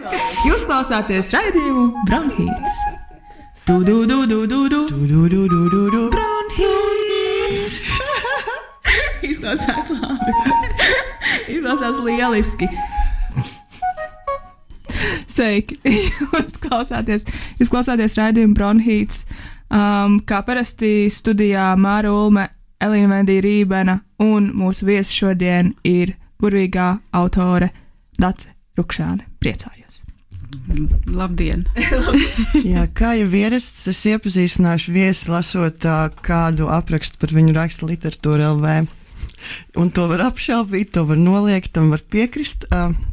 Jūs klausāties raidījumu Bronhīts. Bronhīts. Izklausās labi. Izklausās lieliski. Sveiki. Jūs klausāties raidījumu Bronhīts. Kā parasti studijā Māra Ulme, Elīna Vendija Rībena un mūsu viesi šodien ir burvīgā autore Dace Rukšāne. Priecājos. Labdien! Jā, kā jau ierasts, es iepazīstināšu viesi lasot kādu aprakstu par viņu raksta literatūra LV. Un to var apšaubīt, to var noliegt, tam var piekrist.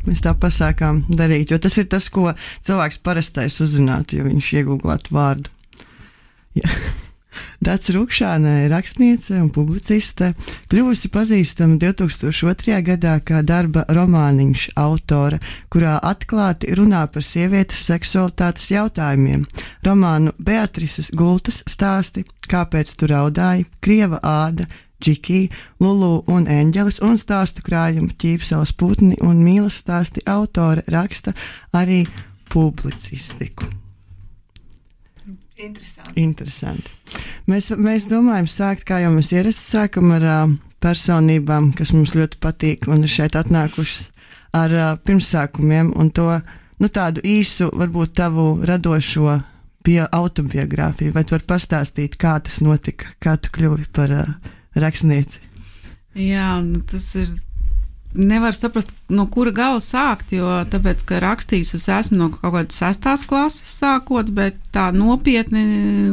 Mēs tā pasākām darīt, jo tas ir tas, ko cilvēks parastais uzzinātu, ja viņš iegūglātu vārdu. Jā. Dace Rukšāne ir rakstniece un publiciste, kļuvusi pazīstama 2002. gadā kā darba romāniņš autore, kurā atklāti runā par sievietes seksualitātes jautājumiem. Romānu Beatrises Gultas stāsti, Kāpēc tu raudāji, Krieva āda, Džiki, Lulu un Eņģelis un stāstu krājumu Ķīpseles putni un mīlas stāsti autore raksta arī publicistiku. Interesanti. Mēs domājam sākt, kā jau mēs ierasti sākam ar personībām, kas mums ļoti patīk un ir šeit atnākušas ar pirmsākumiem un to, tādu īsu, varbūt tavu radošo autobiogrāfiju. Vai tu vari pastāstīt, kā tas notika, kā tu kļuvi par rakstnieci? Jā, tas ir. Nevar saprast, no kura gala sākt, jo tāpēc, ka rakstījis es esmu no kaut kādas 6. klases sākot, bet tā nopietni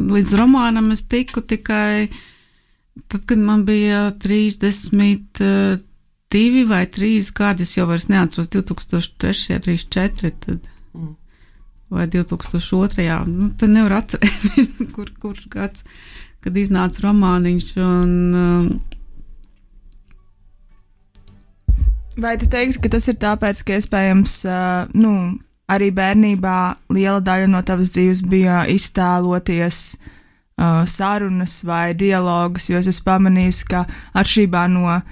līdz romānam es tiku tikai tad, kad man bija 32 vai 3 gadi, es jau vairs neatceros 2003, 34, tad, vai 2002, tad nevar atcerēties, kur gads, kad iznāca romāniņš un Vai tu teiktu, ka tas ir tāpēc, ka iespējams, arī bērnībā liela daļa no tavas dzīves bija iztēloties sarunas vai dialogus, jo es esmu pamanījusi, ka atšķirībā no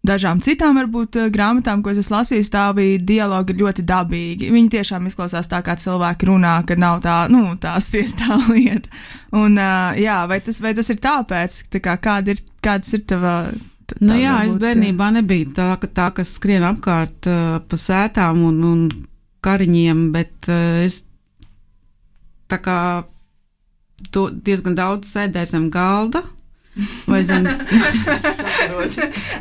dažām citām varbūt grāmatām, ko es esmu lasījis, tā bija dialogi ļoti dabīgi. Viņi tiešām izklausās tā, kā cilvēki runā, kad nav tā, tā spiestā lieta. Un, vai tas ir tāpēc, kāds ir tava... jā, es bērnībā nebija tā, kas skrien apkārt pa sētām un kariņiem, bet es tā kā diezgan daudz sēdēju zem galda. Vai zem...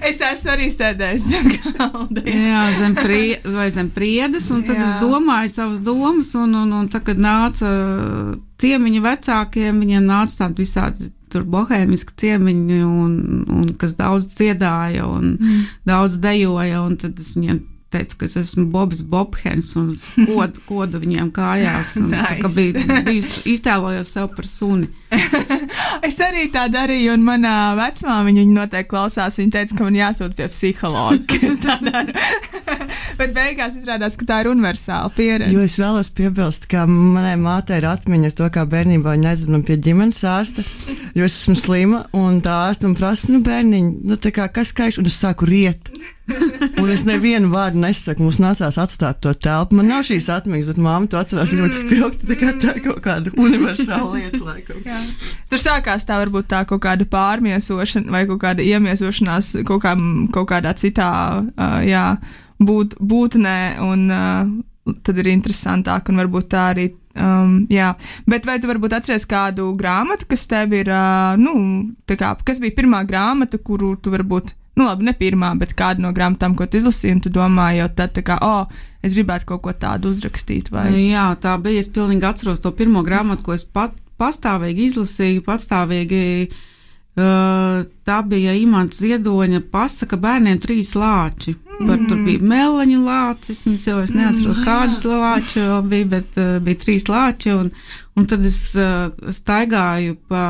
Es esmu arī sēdējis zem galda. Jā, zem priedes, un tad es domāju savas domas, un tā, kad nāca ciemiņi vecākiem, viņiem nāca tādi visādi tur bohēmiski ciemiņi, un kas daudz dziedāja, un daudz dejoja, un tad es viņiem teicu, ka es esmu Bobs Bobhens, un kodu viņiem kājās, un nice. Tā kā biju iztēlojos sev par suni. Es arī tā darīju, un manā vecmāmiņa, viņa noteikti klausās, viņa teica, ka man jāsūt pie psihologa, ka es tā daru. Bet beigās izrādās, ka tā ir universāla pieredze. Jo es vēlos piebilst, ka manai mātei ir atmiņa ar to, kā bērnībā viņa aizved man pie ģimenes ārsta, jo es esmu slima, un tā ārsta man prasa, bērniņ, tā kā kas kaiš, un es sāku riet. Un es nevienu vārdu nesaku, mums nācās atstāt to telpu. Man nav šīs atmiņas, bet māma to atcerās ļoti spilgti, tā kaut kāda universāla lieta, laikam. Jā. Tur sākās tā varbūt tā kaut kāda pārmiesošana vai kaut kāda iemiesošanās kaut kādā citā, būtnē, un tad ir interesantāk, un varbūt tā arī, Bet vai tu varbūt atceries kādu grāmatu, kas tev ir, kas bija pirmā grāmata, kuru tu varbūt, ne pirmā, bet kāda no grāmatām, ko tu izlasīji, un tu domāji jau tad, es gribētu kaut ko tādu uzrakstīt, vai? Jā, tā bija, es pilnīgi atceros to pirmo grāmatu, ko es pastāvīgi izlasīju, tā bija Imants Ziedoņa Pasaka bērniem 3 lāči. Tur bija meleņu lācis, es jau neatceros, kādas lāči bija, bet bija 3 lāči, un tad es staigāju pa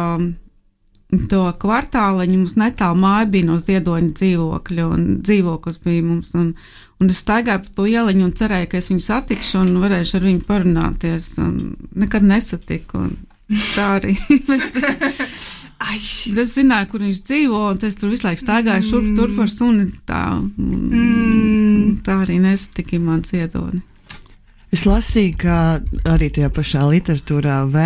to kvartāliņu, mums netālu māja bija no Ziedoņa dzīvokļa, un dzīvoklis bija mums, un es staigāju pa to ieliņu un cerēju, ka es viņu satikšu un varēšu ar viņu parunāties, un nekad nesatiku, un tā arī. Es zināju, kur viņš dzīvo, un es tur visu laiku staigāju šurp turp ar suni, tā arī nesatiku Imants Ziedoni. Es lasīju, ka arī tajā pašā literatūrā LV,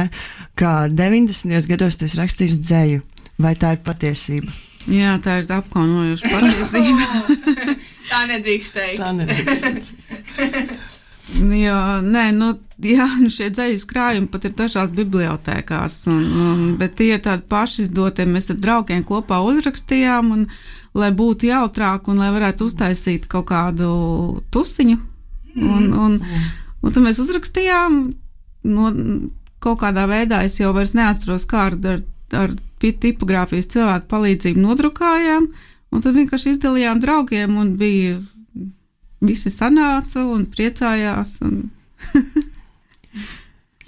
ka 90. gados tu esi rakstījis dzēju. Vai tā ir patiesība? Jā, tā ir apkaunojoša patiesība. Tā nedrīkst teikt. Tā nedrīkst. Jā, nē, šie dzējas krājumi pat ir dažās bibliotēkās, bet tie ir tādi pašizdotie. Mēs ar draugiem kopā uzrakstījām, un, lai būtu jautrāk un lai varētu uztaisīt kaut kādu tusiņu. Un tad mēs uzrakstījām, kaut kādā veidā es jau vairs neatceros, kā ar tipogrāfijas cilvēku palīdzību nodrukājām, un tad vienkārši izdalījām draugiem, un visi sanāca un priecājās.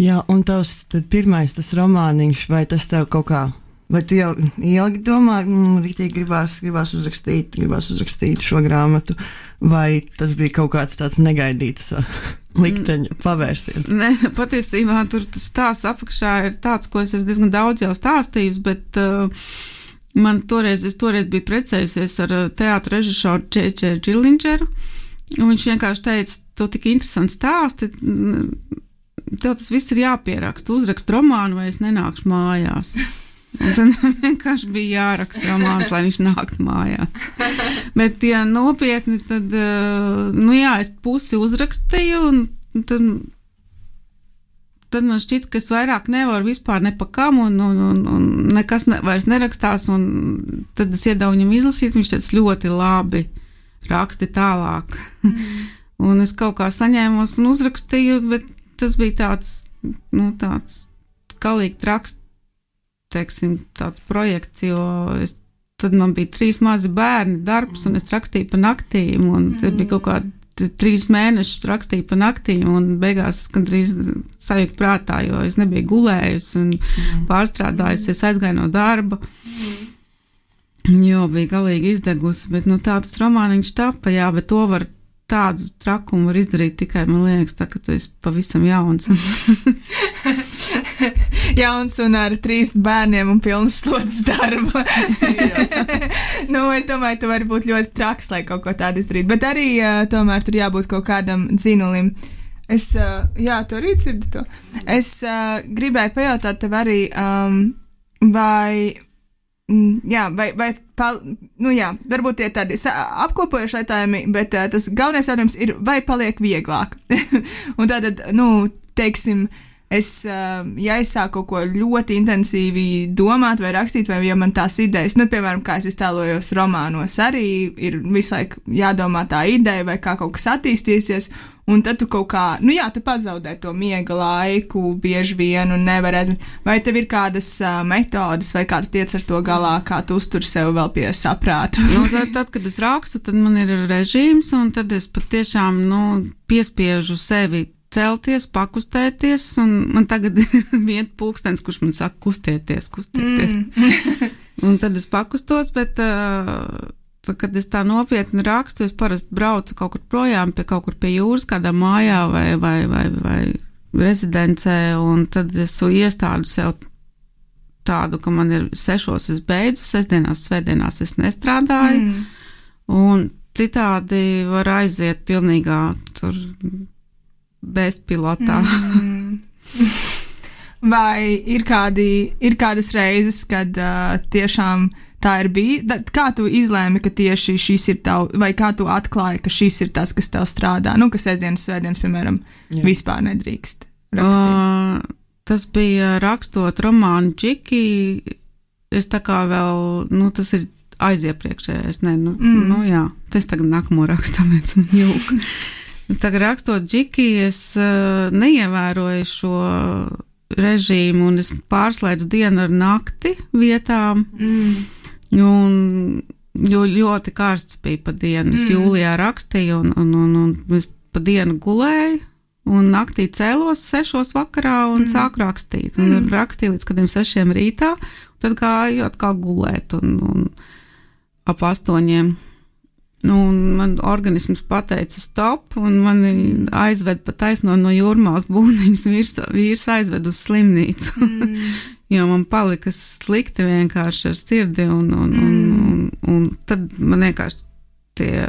Jā, un tavs pirmais tas romāniņš, vai tas tev kaut kā, vai tu jau ilgi domā, rītīgi gribās uzrakstīt šo grāmatu, vai tas bija kaut kāds tāds negaidīts likteņa pavērsiens? Nē, patiesībā tur tas stāsts apakšā ir tāds, ko es diezgan daudz jau stāstījusi, bet es toreiz biju precējusies ar teātra režisoru J.J. Gillingeru, un viņš vienkārši teica, tu tik interesanti stāsti, tev tas viss ir jāpieraksta, uzrakst romānu, vai es nenākšu mājās. Un tad vienkārši bija jāraksta romāns, lai viņš nāktu mājā. Bet, ja nopietni, tad, es pusi uzrakstīju, un tad man šķiet, ka es vairāk nevaru vispār ne pa kam, un nekas vairs nerakstās, un tad es iedevu viņam izlasīt, viņš teica ļoti labi, raksti tālāk. Un es kaut kā saņēmos un uzrakstīju, bet tas bija tāds galīgi traks, teiksim, tāds projekts, jo tad man bija 3 mazi bērni darbs, un es rakstīju pa naktīm, un tad bija kaut kādi 3 mēnešus rakstīju pa naktīm, un beigās es gandrīz sajūtu prātā, jo es nebiju gulējusi un pārstrādājusies, aizgāju no darba, jo bija galīgi izdegusi, bet tā tas romāniņš tapa, jā, bet to var tādu trakumu var izdarīt tikai, man liekas, tā, ka tu esi pavisam jauns. Jauns un ar 3 bērniem un pilnas slodzes darba. Es domāju, tu vari būt ļoti traks, lai kaut ko tādu izdarītu, bet arī tomēr tur jābūt kaut kādam dzinulim. Tu arī dzirdi to. Es gribēju pajautāt tev arī, varbūt tie tādi apkopojuši jautājumi, bet tas galvenais jautājums ir, vai paliek vieglāk. Un tātad, teiksim, ja es sāku kaut ko ļoti intensīvi domāt vai rakstīt, vai ja man tās idejas, piemēram, kā es iztēlojos romānos, arī ir visu laiku jādomā tā ideja, vai kā kaut kas attīstīsies, un tad tu kaut kā, tu pazaudē to miega laiku bieži vien un nevar aizmirst. Vai tev ir kādas metodas, vai kā tu tiec ar to galā, kā tu uztur sev vēl pie saprāta? Tad, kad es rakstu, tad man ir režīms, un tad es patiešām, piespiežu sevi celties, pakustēties, un man tagad ir viens pulkstens, kurš man saka kustieties. Un tad es pakustos, bet kad es tā nopietni rakstu, es parasti braucu kaut kur projām, pie jūras, kādā mājā vai rezidencē, un tad es iestādu sev tādu, ka man ir 6 es beidzu, sestdienās, svētdienās es nestrādāju, un citādi var aiziet pilnīgā tur bezpilotā. Vai ir kādas reizes, kad tiešām tā ir bijis? Kā tu izlēmi, ka tieši šis ir tavu, vai kā tu atklāji, ka šis ir tas, kas tev strādā? Ka svētdienas, piemēram, vispār nedrīkst rakstīt. Tas bija rakstot romānu Džiki. Es tā kā vēl, tas ir aiziepriekšējais. Tas tagad nākamo rakstāmēc un jūka. Tagad rakstot Džiki, es neievēroju šo režīmu, un es pārslēdzu dienu ar nakti vietām, jo ļoti karsts bija pa dienu. Es jūlijā rakstīju, un es pa dienu gulēju, un naktī cēlos 6 vakarā un sāku rakstīt. Un rakstīju līdz kādiem 6 rītā, un tad gāju atkal gulēt, un ap 8. Un man organisms pateica stop, un mani aizved pa taisno no Jūrmālas būniņas, vīrs aizved uz slimnīcu, jo man palika slikti vienkārši ar sirdi, un tad man vienkārši tie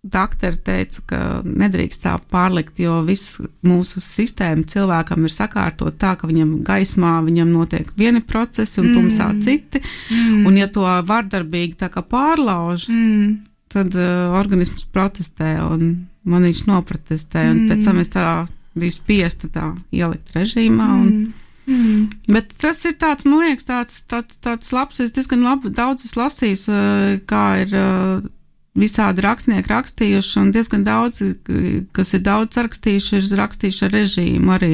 Daktari teica, ka nedrīkst tā pārlikt, jo viss mūsu sistēma cilvēkam ir sakārtot tā, ka viņam gaismā viņam notiek vieni procesi un tumsā citi, un ja to vardarbīgi tā kā pārlauž, tad organisms protestē, un man viņš noprotestē, un pēc tam es tā biju spiesta tā ielikt režīmā, bet tas ir tāds, man liekas, tāds labs, es diezgan daudz es lasījis, kā ir visādi rakstnieki rakstījuši, un diezgan daudz, kas ir daudz rakstījuši, ir rakstījuši ar režīmu arī.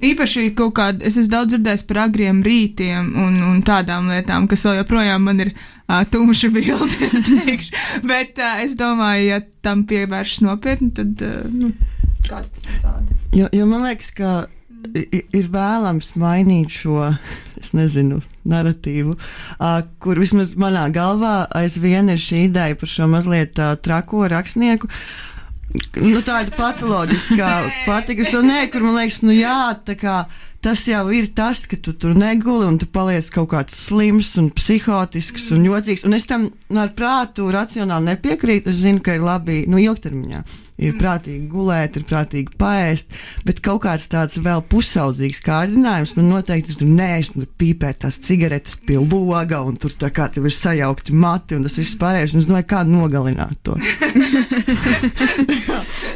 Īpaši kaut kāda, es esmu daudz dzirdējis par agriem rītiem un tādām lietām, kas vēl joprojām man ir tumša bilde, es teikšu. Bet es domāju, ja tam pievēršas nopietni, tad kā tas ir tādi? Jo man liekas, ka ir vēlams mainīt šo, es nezinu, naratīvu, kur vismaz manā galvā aizvien ir šī ideja par šo mazliet trako rakstnieku. Tāda patoloģiskā patikas, un kur man liekas, tā kā tas jau ir tas, ka tu tur neguli un tu paliec kaut kāds slims un psihotisks un jocīgs, un es tam ar prātu racionāli nepiekrītu, es zinu, ka ir labi, ilgtermiņā. Ir prātīgi gulēt, ir prātīgi paēst, bet kaut kāds tāds vēl pusaudzīgs kārdinājums man noteikti ir tur neēst, tur pīpēt tās cigaretes pie loga, un tur tā kā tev ir sajaukti mati, un tas viss pārējais, un es domāju, kā nogalināt to.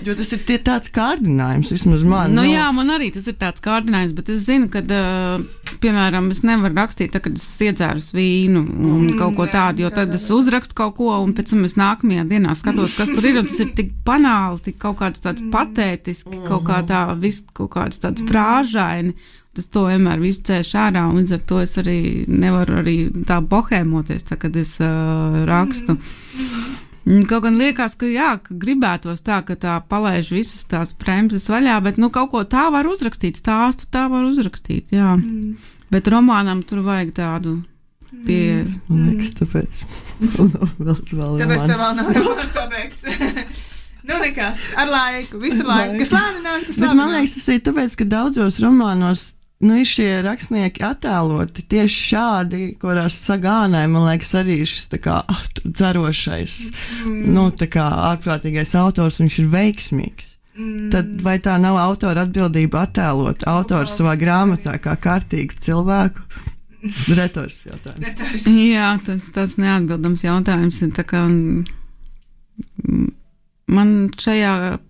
Jo tas ir tāds kārdinājums, vismaz man. Jā, man arī tas ir tāds kārdinājums, bet es zinu, ka, piemēram, es nevaru rakstīt, tā, kad es iedzēru vīnu un kaut ko tādu, jo tad es uzrakstu kaut ko, un pēc tam es nākamajā dienā skatos, kas tur ir, un tas ir tik banāli, tik kaut kāds tāds patētiski, kaut kāds tāds prāžaini, tas to vienmēr visu cēš ārā, un līdz ar to es arī nevaru arī tā bohēmoties, tā, kad es rakstu. Kaut gan liekas, ka ka gribētos tā, ka tā palaiž visas tās bremzes vaļā, bet kaut ko tā var uzrakstīt, stāstu tā var uzrakstīt, jā. Bet romānam tur vajag tādu pie... Man liekas, tāpēc. Tāpēc tev vēl nav romāns pabeigts. Nekas, ar laiku, visu laiku, kas lēni nāk, tas labi. Man liekas, tas ir tāpēc, ka daudzos romānos ir šie rakstnieki attēloti tieši šādi, kurās sagānē, man liekas, arī šis tā kā dzerošais, tā kā ārprātīgais autors, viņš ir veiksmīgs. Tad vai tā nav autora atbildība attēlot autoru savā grāmatā kā kārtīgu cilvēku? Retors jautājums. Jā, tas neatbildams jautājums ir tā kā... Man šajā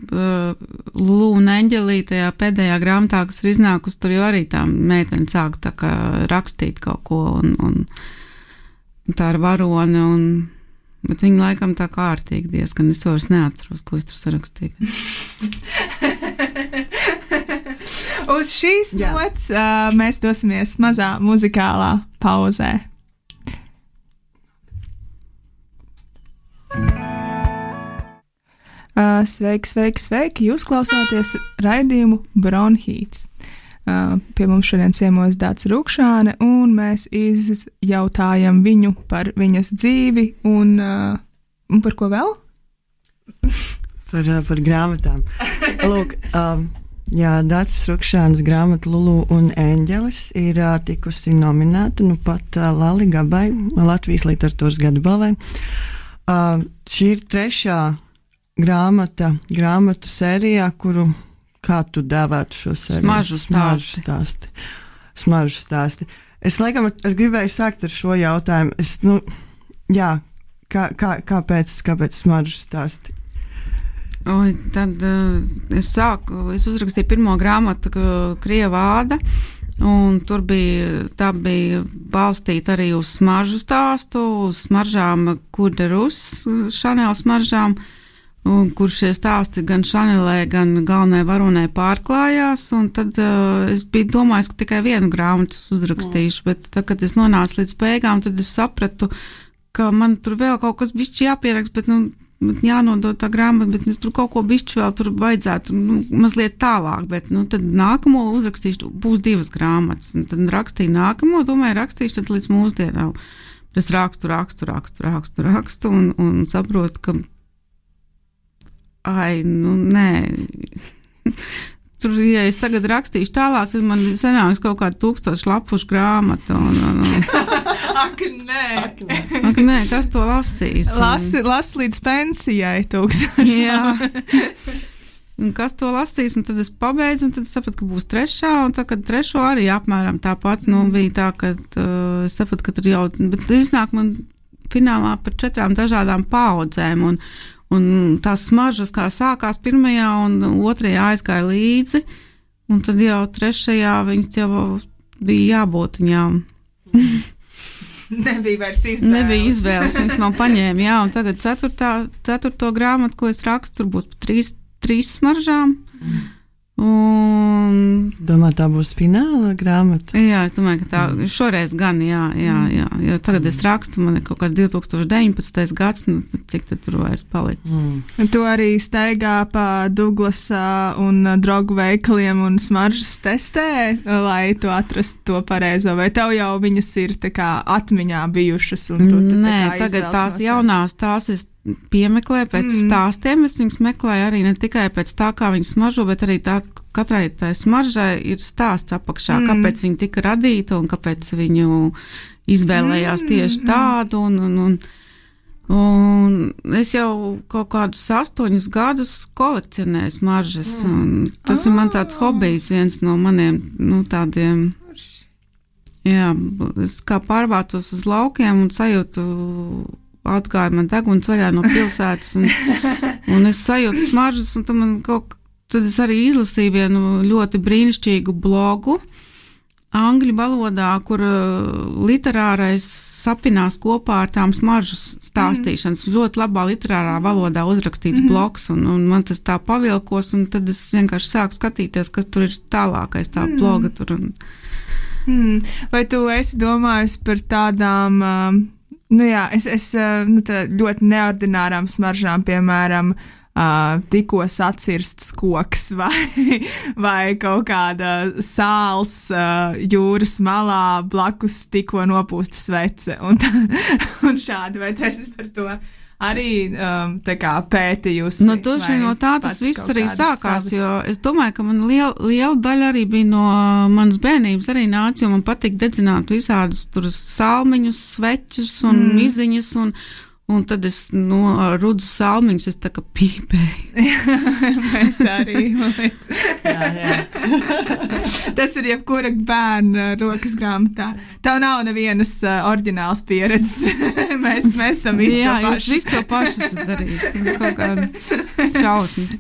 Lulu un Eņģelī, tajā pēdējā grāmatā, kas ir iznākusi, tur jau arī tā meitene sāk tā kā rakstīt kaut ko, un tā ir varone, bet viņa laikam tā kārtīgi diezgan, es vairs neatceros, ko es tur sarakstīju. Uz šīs nots mēs dosimies mazā muzikālā pauzē. Sveiki! Jūs klausāties raidījumu Bronhīts. Pie mums šodien ciemos Dācis Rukšāne, un mēs izjautājam viņu par viņas dzīvi un par ko vēl? Par grāmatām. Lūk, Dācis Rukšānes grāmata Lulu un Eņģelis ir tikusi nominēta pat Lali Gabai, Latvijas literatūras gada balvai. Šī ir trešā grāmatu sērijā, kuru, kā tu dēvētu šo sēriju? Smaržu stāsti. Es laikam gribēju sākt ar šo jautājumu. Kāpēc smaržu stāsti? Tad es uzrakstīju pirmo grāmatu Krieva āda, un tā bija balstīta arī uz smaržu stāstu, uz smaržām Cour de Rus, Chanel smaržām, kur šie stāsti gan Chanelē, gan galvenai varonai pārklājās, un tad es biju domājis, ka tikai vienu grāmatu uzrakstīšu, bet tad, kad es nonācu līdz beigām, tad es sapratu, ka man tur vēl kaut kas bišķi jāpierakst, bet jānodod tā grāmata, bet es tur kaut ko bišķi vēl tur vajadzētu mazliet tālāk, bet tad nākamo uzrakstīšu, būs 2 grāmatas, un tad rakstīju nākamo, domāju, rakstīšu tad līdz mūsdienām. Es rakstu un saprotu, ka nē, tur, ja es tagad rakstīšu tālāk, tad man sanāks kaut kāda 1000 lapušu grāmata. Ak, nē. Ak, nē, kas to lasīs? Lasi līdz pensijai 1000. Jā. Un kas to lasīs, un tad es pabeidzu, un tad es sapratu, ka būs 3. un tad, kad 3. arī apmēram tāpat, bija tā, ka es sapratu, ka tur jau, bet iznāk man finālā par 4 dažādām paudzēm, un tās smaržas, kā sākās 1. un 2. aizgāja līdzi, un tad jau 3. viņas jau bija jābūt viņām. Nebija vairs izvēles. Nebija izvēles, viņas man paņēma, jā, un tagad 4. grāmatu, ko es rakstu, tur būs pa 3 smaržām. Domā, tā būs fināla grāmata? Jā, es domāju, ka tā šoreiz gan, jā, jo tagad es rakstu, man ir kaut kāds 2019. gads, nu, cik tad tur vairs palicis. Tu arī staigā pa Douglasa un drogu veikaliem un smaržas testē, lai tu atrastu to pareizo, vai tev jau viņas ir tā kā atmiņā bijušas? Un tu Nē, tagad tās jaunās, tās es piemeklēju pēc stāstiem, es viņas meklēju arī ne tikai pēc tā, kā viņas smaržo, bet arī tā, katrai tai smaržai ir stāsts apakšā, kāpēc viņa tika radīta un kāpēc viņu izvēlējās tieši tādu, un es jau kaut kādus 8 gadus kolekcionēju smaržas, un tas ir man tāds hobijs, viens no maniem, tādiem, jā, es kā pārvācos uz laukiem un sajūtu, atgāja man deguns vaļā no pilsētas, un es sajūtu smaržas, un tad es arī izlasīju vienu ļoti brīnišķīgu blogu angļu valodā, kur literārais sapinās kopā ar tām smaržas stāstīšanas. Ļoti labā literārā valodā uzrakstīts blogs, un man tas tā pavilkos, un tad es vienkārši sāku skatīties, kas tur ir tālākais tā bloga tur. Vai tu esi domājis par tādām... es ļoti neordinārām smaržām, piemēram, tikko sacirsts koks vai kaut kāda sāls jūras malā blakus tikko nopūsta svece un šādi, vai tu esi par to arī tā kā pētījusi? No tā tas viss arī sākās, jo es domāju, ka man liela daļa arī bija no manas bērnības arī nāca, jo man patīk dedzināt visādus tur salmiņus, sveķus un miziņas, un tad es rudzu salmiņus, es tā kā pīpēju. Mēs arī, man liekas. Jā. Tas ir jebkura bērna rokas grāmatā. Tev nav nevienas oriģināls pieredzes. Mēs esam visi to paši. Jā, jūs visi to paši esat darījuši. Tā ir kaut kāda šausmas.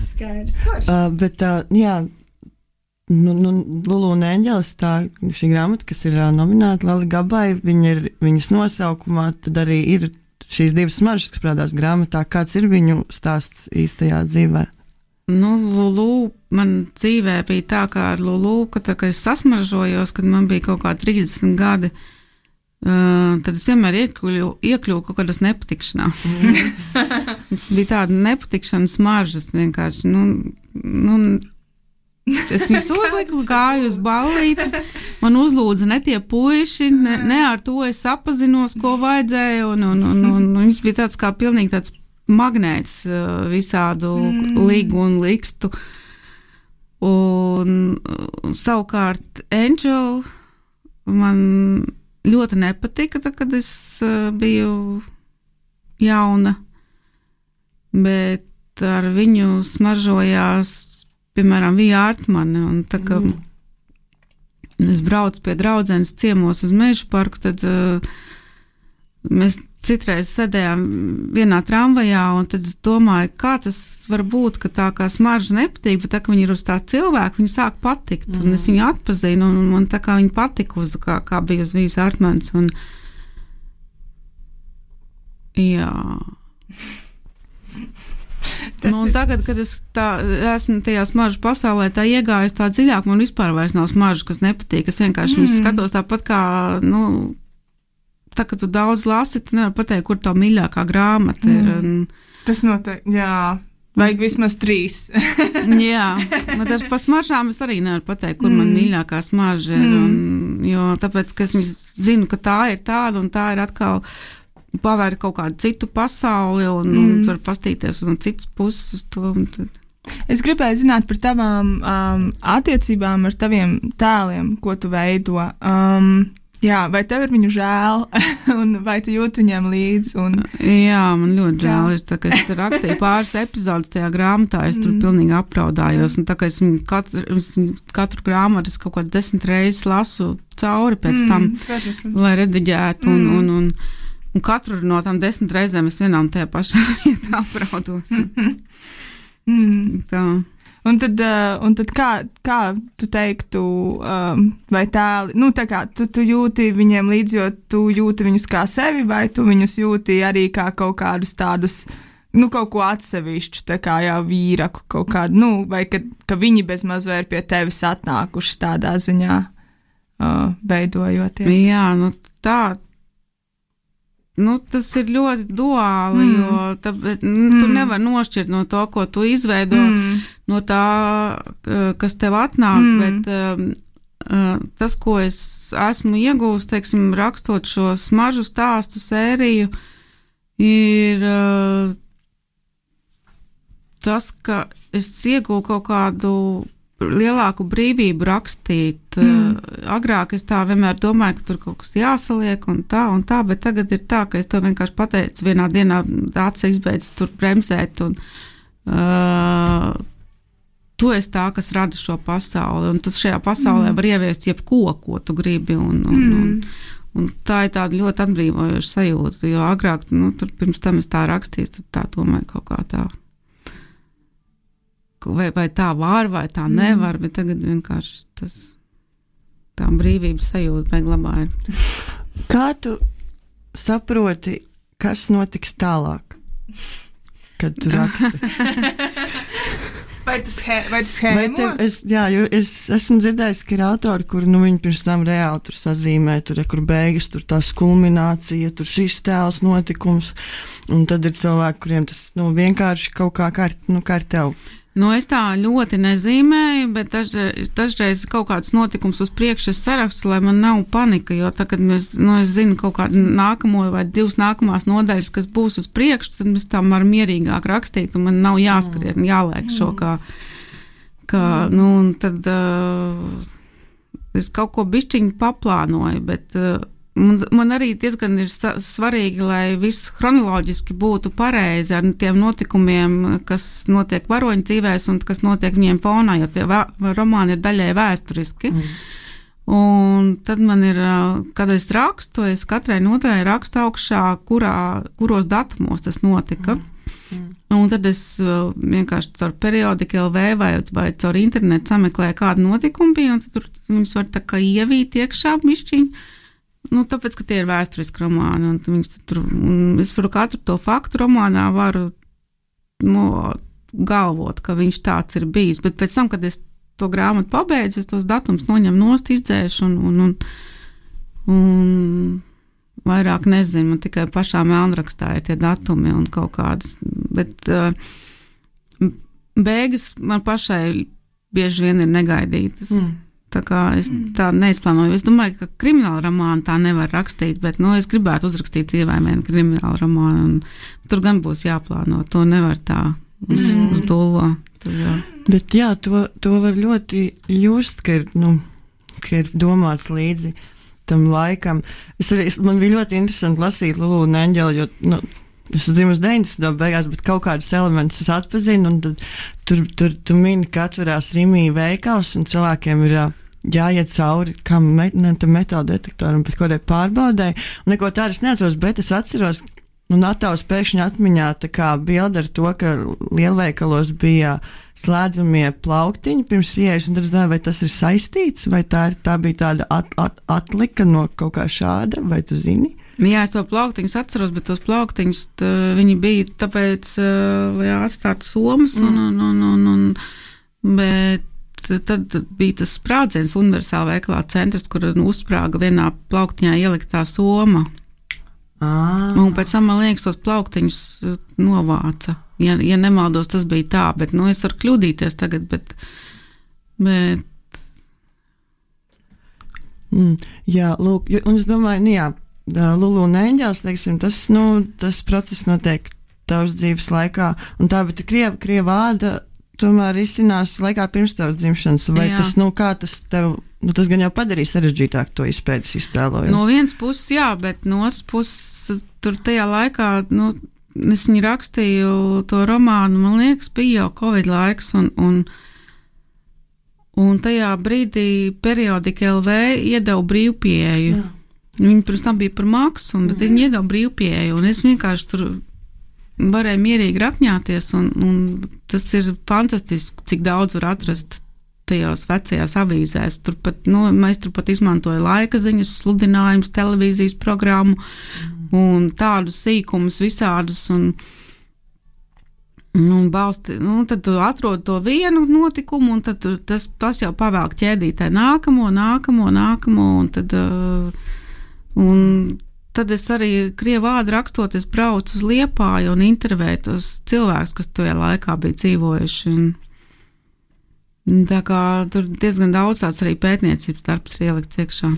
Skaidrs. Bet, jā, Lulu un Eņģelis, šī grāmata, kas ir nominēta Lali Gabai, viņas nosaukumā, tad arī ir šīs 2 smaržas, kas parādās grāmatā. Kāds ir viņu stāsts īstajā dzīvē? Lulu man dzīvē bija tā, kā ar Lulu, kad es sasmaržojos, kad man bija kaut kā 30 gadi, tad es vienmēr iekļuvu kaut kādas nepatikšanās. Tas bija tāda nepatikšanas smaržas vienkārši, es viņus uzliku, gāju uz ballītes, man uzlūdza ne tie puiši, ne ar to es sapazinos, ko vajadzēja, un viņas bija tāds kā pilnīgi tāds magnēts visādu ligu un likstu. Un savukārt Angel man ļoti nepatika, kad es biju jauna, bet ar viņu smaržojās piemēram, Vija Artmane, un tā kā es braucu pie draudzenes ciemos uz Mežu parku, tad mēs citreiz sēdējām vienā tramvajā, un tad es domāju, kā tas var būt, ka tā kā smarža nepatīk, bet tā, ka viņi ir uz tā cilvēku, viņi sāk patikt, un es viņu atpazinu, un man tā kā viņi patika uz, kā bija uz Vijas Artmanes, un jā... Un tagad, kad es esmu tajā smaržu pasaulē tā iegājis tā dziļāk, man vispār vairs nav smaržu, kas nepatīk. Es vienkārši skatos tāpat kā, tā, ka tu daudz lasi, tu nevar pateikt, kur tā mīļākā grāmata ir. Tas noteikti, jā. Vajag vismaz 3. Jā, bet par smaržām es arī nevaru pateikt, kur man mīļākā smarža ir. Jo tāpēc, ka es zinu, ka tā ir tāda un tā ir atkal pavērt kaut kādu citu pasauli un var pastīties no citas puses uz to. Es gribēju zināt par tavām attiecībām ar taviem tēliem, ko tu veido. Jā, vai tev ir viņu žēl, un vai tu jūti viņiem līdzi? Jā, man ļoti žēl. Ir tā, ka es rakstīju pāris epizodes tajā grāmatā, es tur pilnīgi apraudājos. Un tā kā es katru grāmatu kaut kāds 10 reizes lasu cauri pēc tam, lai rediģētu. Un katru no tām 10 reizēm es vienā un tajā pašā vietā apraudos. Tā. Un tad kā tu teiktu, vai tēli, tā kā tu jūti viņiem līdzi, jo tu jūti viņus kā sevi, vai tu viņus jūti arī kā kaut kādus tādus, kaut ko atsevišķu, tā kā jau vīraku kaut kādu, vai ka viņi bezmaz vai ir pie tevis atnākuši tādā ziņā, veidojoties. Jā, tā. Tas ir ļoti duāli, jo tu nevar nošķirt no to, ko tu izveido, no tā, kas tev atnāk, bet tas, ko es esmu iegūst, teiksim, rakstot šo smaržu stāstu sēriju, ir tas, ka es iegūstu kaut kādu lielāku brīvību rakstīt. Agrāk es tā vienmēr domāju, ka tur kaut kas jāsaliek un tā, bet tagad ir tā, ka es to vienkārši pateicu vienā dienā, acis izbeidz tur bremzēt un tu esi tā, kas rada šo pasauli, un tas šajā pasaulē var ieviest jebko, ko tu gribi, un tā ir tāda ļoti atbrīvojoša sajūta, jo agrāk, tur pirms tam es tā rakstīju, tad tā domāju kaut kā tā. Vai tā var, vai tā nevar, bet tagad vienkārši tā brīvības sajūta beglabā ir. Kā tu saproti, kas notiks tālāk, kad tu raksti? Vai tas schēmo? Es esmu dzirdējis, ka ir autori, kur viņi pirms tam reāli tur sazīmē, kur beigas, tur tās kulminācija, tur šis tēls notikums, un tad ir cilvēki, kuriem tas vienkārši kaut kā kā ar tev. Es tā ļoti nezīmēju, bet dažreiz kaut kāds notikums uz priekšu es sarakstu, lai man nav panika, jo tā, kad es zinu kaut kādu nākamo vai 2 nākamās nodaļas, kas būs uz priekšu, tad mēs tam varam mierīgāk rakstīt, un man nav jāskrien, jāliek šo un tad es kaut ko bišķiņu paplānoju, bet man arī diezgan ir svarīgi, lai viss chronoloģiski būtu pareizi ar tiem notikumiem, kas notiek varoņu dzīvēs un kas notiek viņiem fonā, jo tie romāni ir daļai vēsturiski. Un tad man ir, kad es rakstu, es katrai nodaļai rakstu augšā, kuros datumos tas notika. Un tad es vienkārši caur periodiku LV vai caur internetu sameklēju kādu notikumu bija, un tad tur viņus var tā kā ievīt iekšā mišķiņu. Tāpēc, ka tie ir vēsturiski romāni, un es par katru to faktu romānā varu galvot, ka viņš tāds ir bijis, bet pēc tam, kad es to grāmatu pabeidzu, es tos datums noņemu nost, izdzēšu un vairāk nezinu, man tikai pašā melnrakstā ir tie datumi un kaut kādas, bet beigas man pašai bieži vien ir negaidītas. Tā kā es tā neizplānoju. Es domāju, ka krimināla romānu tā nevar rakstīt, bet es gribētu uzrakstīt dzīvēm vienu kriminālu romānu, un tur gan būs jāplāno. To nevar tā uz dullo. Bet jā, to var ļoti just, ka ir domāts līdzi tam laikam. Man bija ļoti interesanti lasīt Lulu un Eņģeli, jo es dzimu uz 90. beigās, bet kaut kādus elementus es atpazinu, un tad tur mini, ka atverās Rimī veikals, un cilvēkiem ir jāiet cauri kam metāla detektoram pēc kādai pārbaudēji, un neko tādu es neatceros, bet es atceros, un attēls pēkšņi atmiņā tā kā bilde ar to, ka lielveikalos bija slēdzamie plauktiņi pirms ieejas, un tad es domāju, vai tas ir saistīts, vai tā bija tāda atlika no kaut kā šāda, vai tu zini? Jā, es to plauktiņus atceros, bet tos plauktiņus viņi bija tāpēc, lai atstātu somas, bet tad bija tas sprādziens universāla veikalā centrs, kur uzsprāga vienā plauktiņā ieliktā soma. Un pēc tam, man liekas, tos plauktiņus novāca. Ja nemaldos, tas bija tā, bet es varu kļūdīties tagad, bet... Jā, lūk, un es domāju, Lulu un Eņģels, teiksim, tas process notiek tavas dzīves laikā, un tā, bet krieva āda tomēr izcinās laikā pirms tavas dzimšanas, vai Jā. tas, kā tas tev, tas gan jau padarīja sarežģītāk to izpētes iztēlojumu? No vienas puses, jā, bet no otras puses, tur tajā laikā, es viņu rakstīju to romānu, man liekas, bija jau Covid laiks, un tajā brīdī periodika LV iedeva brīvpieeju. Jā. Viņi pirms tam bija par maksu, bet viņi iedeva brīvpieeju, un es vienkārši tur varēju mierīgi rakņāties, un tas ir fantastiski, cik daudz var atrast tajās vecajās avīzēs. Mēs turpat izmantoja laika ziņas, sludinājumus, televīzijas programmu un tādus sīkumus visādus, un tad tu atrod to vienu notikumu, un tad tas jau pavēlk ķēdītē nākamo, un tad es arī krievu vārdu rakstot, es braucu uz Liepāju un intervēju tos cilvēkus, kas tajā laikā bija dzīvojuši. Tā kā tur diezgan daudz tāds arī pētniecības darbs ir ielikts iekšā.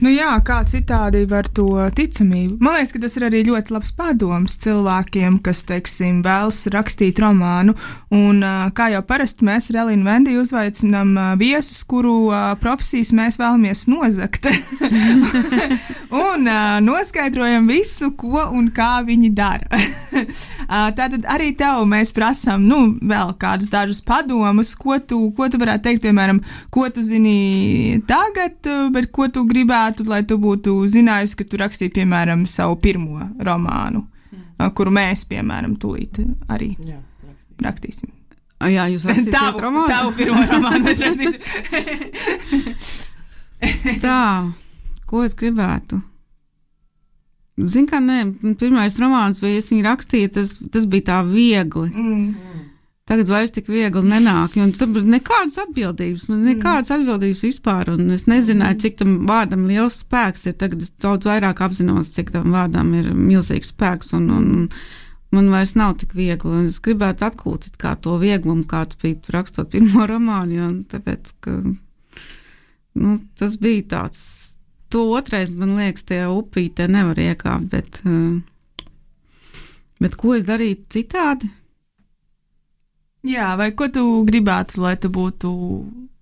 Jā, kā citādi var to ticamību. Man liekas, ka tas ir arī ļoti labs padoms cilvēkiem, kas, teiksim, vēlas rakstīt romānu. Un kā jau parasti mēs ar Elīnu Vendiju uzveicinām viesus, kuru profesijas mēs vēlamies nozagt. Un noskaidrojam visu, ko un kā viņi dara. Tātad arī tev mēs prasām, vēl kādus dažus padomus, ko tu varētu teikt, piemēram, ko tu zini tagad, bet ko tu gribētu, lai tu būtu zinājis, ka tu rakstīji, piemēram, savu pirmo romānu, kuru mēs, piemēram, tūlīt arī rakstīsim. Jā, jūs rakstīsiet romānu? Tavu pirmo romānu mēs rakstīsim. Tā, ko es gribētu? Zin kā, pirmais romāns, vai es viņu rakstīju, tas bija tā viegli. Tagad vairs tik viegli nenāk, un tam nekādas atbildības vispār, un es nezināju, cik tam vārdam liels spēks ir. Tagad es daudz vairāk apzinos, cik tam vārdam ir milzīgs spēks, un man vairs nav tik viegli, un es gribētu atkult kā to vieglumu, kāds bija rakstot pirmo romānu, un tāpēc, ka tas bija tāds. To otrais, man liekas, tie upītē nevar iekāpt, bet ko es darītu citādi? Jā, vai ko tu gribētu, lai tu būtu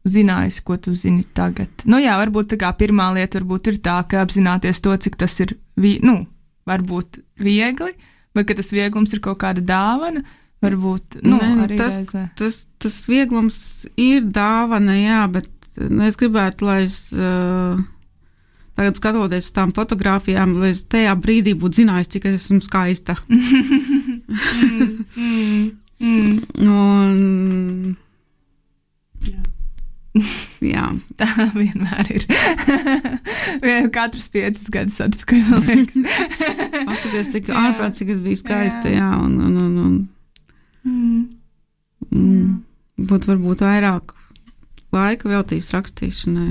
zinājis, ko tu zini tagad? Varbūt tā kā pirmā lieta varbūt ir tā, ka apzināties to, cik tas ir, varbūt viegli, vai ka tas vieglums ir kaut kāda dāvana, varbūt, arī reizē. Tas vieglums ir dāvana, jā, bet es gribētu, lai es tagad skatoties uz tām fotogrāfijām, lai es tajā brīdī būtu zinājis, cik es esmu skaista. Jā. Tā vienmēr ir. Katrs 5 gadus atpakaļ, man liekas. Paskaties, cik ārprāt, cik es biju skaista, jā, būtu varbūt vairāk laika veltījis rakstīšanai.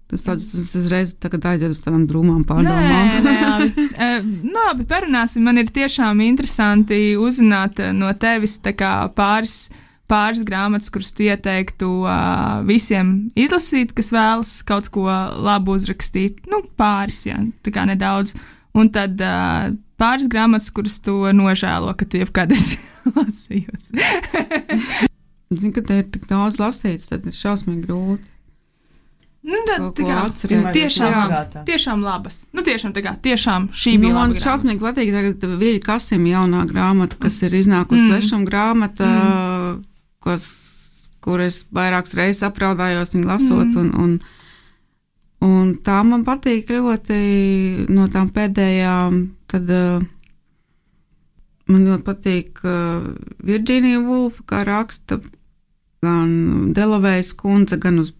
Tas uzreiz tagad aiziet uz tādām drūmām pārdomām. Labi, parunāsim. Man ir tiešām interesanti uzzināt no tevis tā kā pāris grāmatas, kuras tu ieteiktu visiem izlasīt, kas vēlas kaut ko labu uzrakstīt. Pāris, jā, tā kā nedaudz. Un tad pāris grāmatas, kuras tu nožēlo, ka tu jebkad esi lasījusi. Zinu, ka te ir tik daudz lasīts, tad ir šausmīgi grūti. Tiešām labas. Tiešām šī bija laba. Man šausmīgi patīk tagad Viļa Kasima jaunā grāmata, kas ir iznākusi svešuma grāmata, kur es vairākas reizes apraudājos viņu lasot, un tā man patīk ļoti no tām pēdējām, tad man ļoti patīk Virģīnija Vulfa, kā raksta, gan Delavējas kundze, gan uz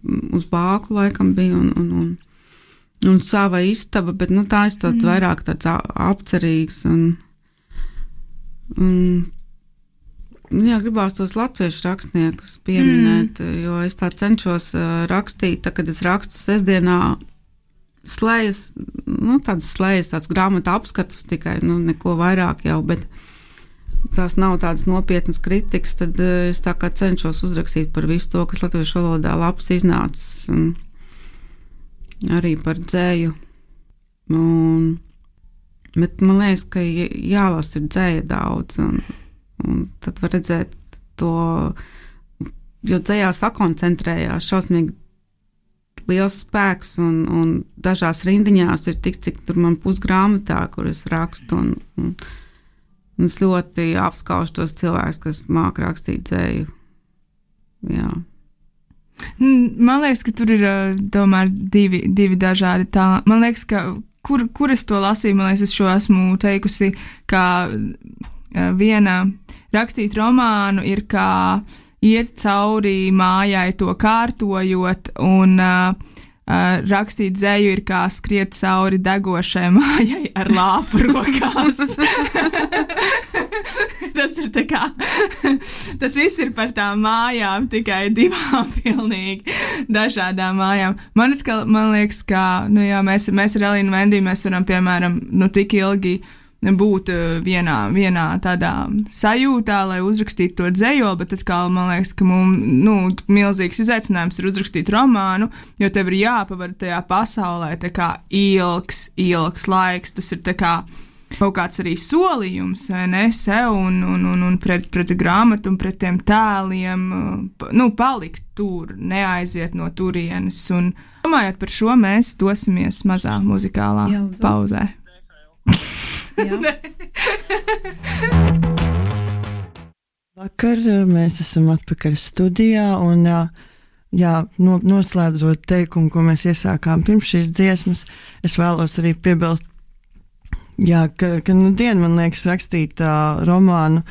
Bāku laikam bija, un sava istaba, bet tā ir tāds vairāk tāds apcerīgs, gribās tos latviešu rakstniekus pieminēt, jo es tā cenšos rakstīt, tā, kad es rakstu sestdienā slējas, tādas slējas, tāds grāmatu apskatus tikai, neko vairāk jau, bet tās nav tādas nopietnas kritikas, tad es tā kā cenšos uzrakstīt par visu to, kas latviešu valodā labs iznācis, un arī par dzēju. Bet man liekas, ka jālasa ir dzēja daudz, Un tad var redzēt to, jo dzejā sakoncentrējās šausmīgi liels spēks, un dažās rindiņās ir tik, cik tur man pusgrāmatā, kur es rakstu, un es ļoti apskaužu tos cilvēkus, kas māk rakstīt dzēju. Jā. Man liekas, ka tur ir tomēr divi dažādi tā. Man liekas, ka kur es to lasīju, man liekas, es šo esmu teikusi, ka viena rakstīt romānu ir kā iet cauri mājai to kārtojot, un rakstīt dzeju ir kā skriet cauri degošai mājai ar lāpu rokās. Tas ir tā kā, tas viss ir par tām mājām, tikai divām pilnīgi dažādām mājām. Man liekas, ka, mēs ar Elīnu Vendiju, mēs varam, piemēram, tik ilgi būt vienā tādā sajūtā, lai uzrakstītu to dzejoli, bet atkal man liekas, ka mums milzīgs izaicinājums ir uzrakstīt romānu, jo tev ir jāpavar tajā pasaulē tā kā ilgs laiks. Tas ir tā kā kaut kāds arī solījums, vai ne, sev un pret grāmatu un pret tiem tēliem, palikt tur, neaiziet no turienes. Un domājot par šo, mēs dosimies mazā muzikālā pauzē. Vakar mēs esam atpakaļ studijā, un noslēdzot teikumu, ko mēs iesākām pirms šīs dziesmas, es vēlos arī piebilst, ka man liekas rakstīt romānu,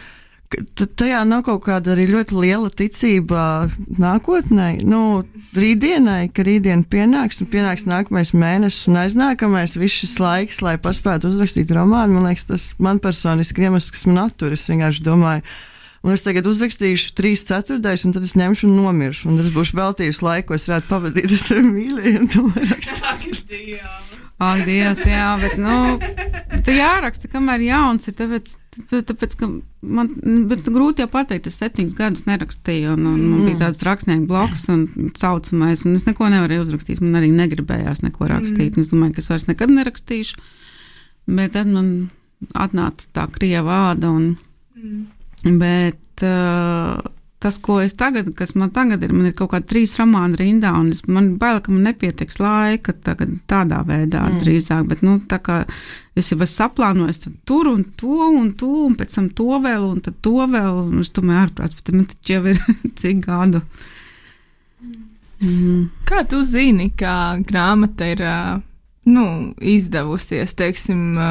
tajā nav kaut kāda arī ļoti liela ticība nākotnē, rītdienai, ka rītdiena pienāks nākamais mēnesis un aiznākamais viss šis laiks, lai paspētu uzrakstīt romānu. Man liekas, tas man personiski iemesls, kas man attur. Es vienkārši domāju, un es tagad uzrakstīšu 3/4, un tad es ņemšu un nomiršu, un tas būšu veltījusi laiku, ko es varētu pavadīt ar saviem mīļajiem. Ak, Dievs, jā, bet, tu jāraksta, kamēr jauns ir, tāpēc, ka man, bet grūti jau pateikt, es 7 gadus nerakstīju, un man bija tāds rakstnieku bloks un saucamais, un es neko nevarēju uzrakstīt, man arī negribējās neko rakstīt, un es domāju, ka es vairs nekad nerakstīšu, bet tad man atnāca tā krieva āda, bet tas, kas man tagad ir, man ir kaut kādi 3 romāni rindā, un man bail, ka man nepietiks laika tagad tādā veidā drīzāk, bet, tā kā es jau esmu saplānojis tur un to, un pēc tam to vēl, un tad to vēl, un es domāju, ārprāt, bet man taču jau ir cik gadu. Kā tu zini, kā grāmata ir, izdevusies, teiksim,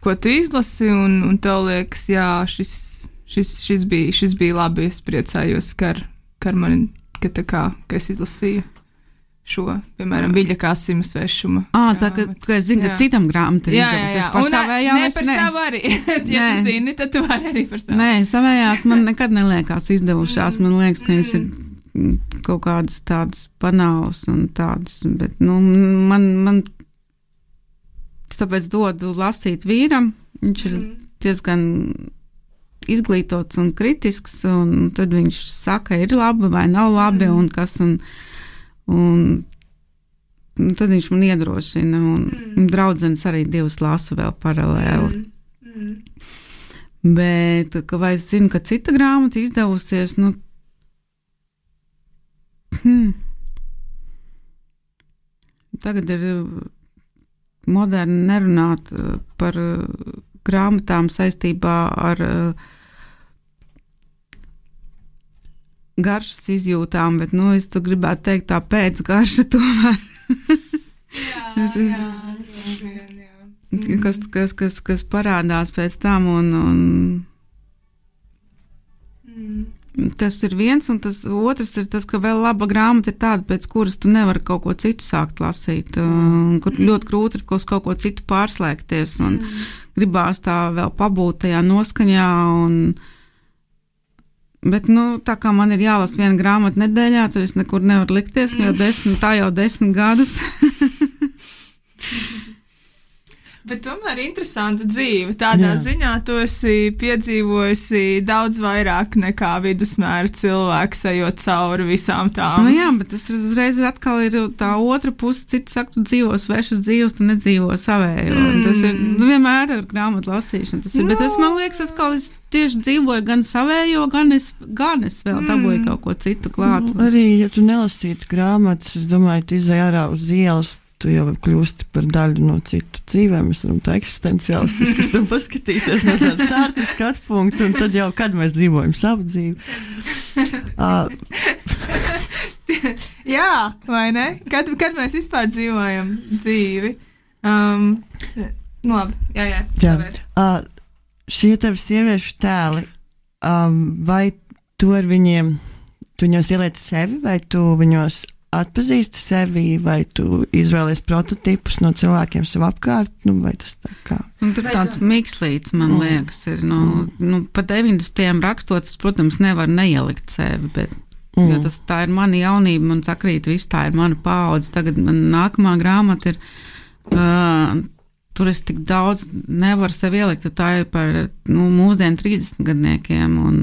ko tu izlasi, un tev liekas, jā, šis bija labi, es priecājos, ka es izlasīju šo, piemēram, Viļa Kasima svešuma. Tā, ka es zinu, ka citam grāmata ir izdevusies par savējām. Ne par savu arī. Ja tu zini, tad tu vari arī par savu. Nē, savējās man nekad neliekās izdevušās. Man liekas, ka viņas ir kaut kādas tādas banālas un tādas, bet, man tāpēc dodu lasīt vīram. Viņš ir diezgan izglītots un kritisks, un tad viņš saka, ir labi vai nav labi, un kas, un tad viņš man iedrošina, un draudzenes arī 2 lasu vēl paralēli. Bet, vai es zinu, ka cita grāmata izdevusies, tagad ir moderni nerunāt par grāmatām saistībā ar garšas izjūtām, bet, es tu gribētu teikt tā pēcgarša tomēr. Kas parādās pēc tam, un tas ir viens, un tas otrs ir tas, ka vēl laba grāmata ir tāda, pēc kuras tu nevari kaut ko citu sākt lasīt, kur ļoti grūti ir kaut ko citu pārslēgties, un gribās tā vēl pabūt tajā noskaņā, bet, tā kā man ir jālasa 1 grāmata nedēļā, tad es nekur nevaru likties, jau 10 gadus. Bet tomēr interesanta dzīve. Tādā ziņā tu esi piedzīvojusi daudz vairāk nekā vidusmēra cilvēks, ejot cauri visām tām. Nu jā, bet tas uzreiz atkal ir tā otra puse. Cits saka, tu dzīvo svešas dzīves, tu nedzīvo savējo. Tas ir vienmēr ar grāmatu lasīšanu. Tas ir, bet es, man liekas, atkal es tieši dzīvoju gan savējo, gan es vēl dabūju kaut ko citu klāt. Arī, ja tu nelasītu grāmatas, es domāju, tu izai ārā uz ielas, tu jau kļūsti par daļu no citu dzīvēm. Mēs varam tā eksistenciālistis, kas tam paskatīties no tāda sārta skatu punkta, un tad jau, kad mēs dzīvojam savu dzīvi. Jā, vai ne? Kad mēs vispār dzīvojam dzīvi? Labi, jā. Šie tevi sieviešu tēli, vai tu ar viņiem, tu viņos ieliec sevi, vai tu viņos atpazīsti sevi, vai tu izvēlies prototipus no cilvēkiem sev apkārt, vai tas tā kā? Tur tāds mikslīts, man liekas, ir, pa 90. rakstot, es, protams, nevaru neielikt sevi, bet, jo tā ir mana jaunība, man sakrīt, viss tā ir mana paudze, tagad man nākamā grāmata ir, tur es tik daudz nevaru sev ielikt, jo tā ir par mūsdienu 30 gadniekiem, un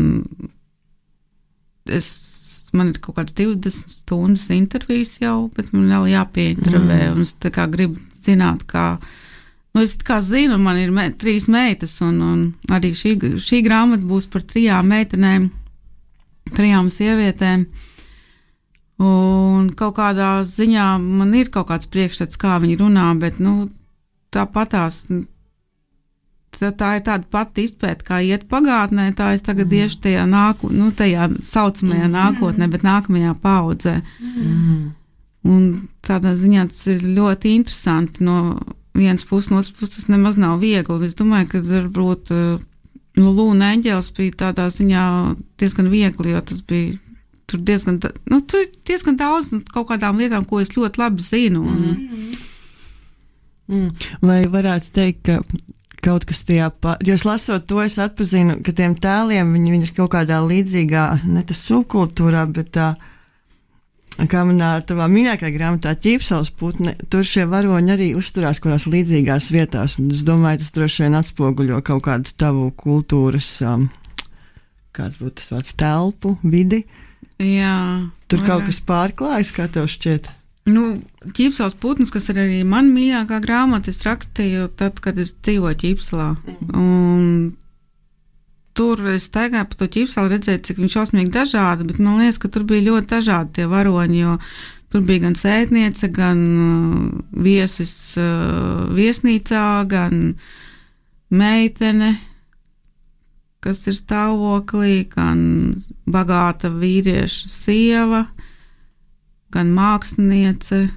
man ir kaut kāds 20 stundas intervijas jau, bet man vēl jāpieintervē, un es tā kā gribu zināt, kā, es kā zinu, man ir 3 meitas, un arī šī grāmata būs par 3 meitenēm, 3 sievietēm, un kaut kādā ziņā man ir kaut kāds priekšstats, kā viņi runā, bet, tāpatās, tā ir tāda pati izpēta, kā iet pagātnē, tā es tagad iešu tajā tajā saucamajā nākotnē, bet nākamajā paudzē. Un tādā ziņā tas ir ļoti interesanti no vienas puses, no otras puses tas nemaz nav viegli. Es domāju, ka varbūt Lūna Eņģēls bija tādā ziņā diezgan viegli, jo tas bija tur diezgan daudz kaut kādām lietām, ko es ļoti labi zinu. Vai varētu teikt, ka kaut kas tajā, jo es lasot to, es atpazinu, ka tiem tēliem viņi ir kaut kādā līdzīgā, ne tas subkultūrā, bet tā, kā manā tavā minēkā grāmatā Ķīpsels putne, tur šie varoņi arī uzturās kurās līdzīgās vietās, un es domāju, tas droši vien atspoguļo kaut kādu tavu kultūras, kāds būtu tas vārds, telpu, vidi. Jā. Tur kaut kas pārklājas, kā tev šķiet? Ķīpsels putns, kas ir arī man mīļākā grāmata, es rakstīju tad, kad es dzīvoju Ķīpselā. Un tur es staigāju pa to Ķīpselu, redzēju, cik viņš šausmīgi dažādi, bet man liekas, ka tur bija ļoti dažādi tie varoņi, jo tur bija gan sētniece, gan viesis viesnīcā, gan meitene, kas ir stāvoklī, gan bagāta vīrieša sieva, gan māksliniece.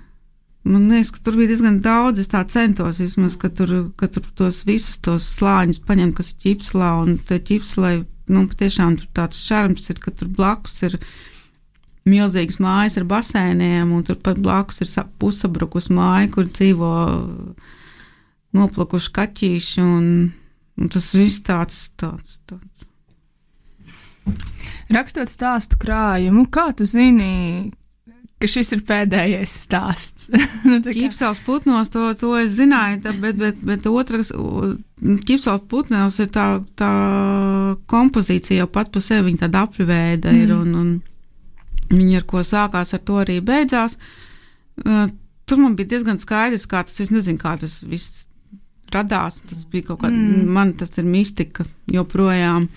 Man liekas, ka tur bija diezgan daudz, es tā centos vismaz, ka tur tos visus tos slāņus paņem, kas ir Ķīpselā, un te Ķīpselai, patiešām tur tāds šarms ir, ka tur blakus ir milzīgas mājas ar basēniem, un tur pat blakus ir pusabrukus māja, kur dzīvo noplakuši kaķīši, un tas viss tāds. Rakstot stāstu krājumu, kā tu zini, ka šis ir pēdējais stāsts? Ķīpsels putnos, to es zināju, bet otrs, Ķīpsels putnos ir tā kompozīcija jau pat pa sevi, viņa tāda apļuvēda ir, un viņa ar ko sākās, ar to arī beidzās. Tur man bija diezgan skaidrs, kā tas, es nezinu, kā tas viss radās, tas bija kaut kāda, man tas ir mistika joprojām,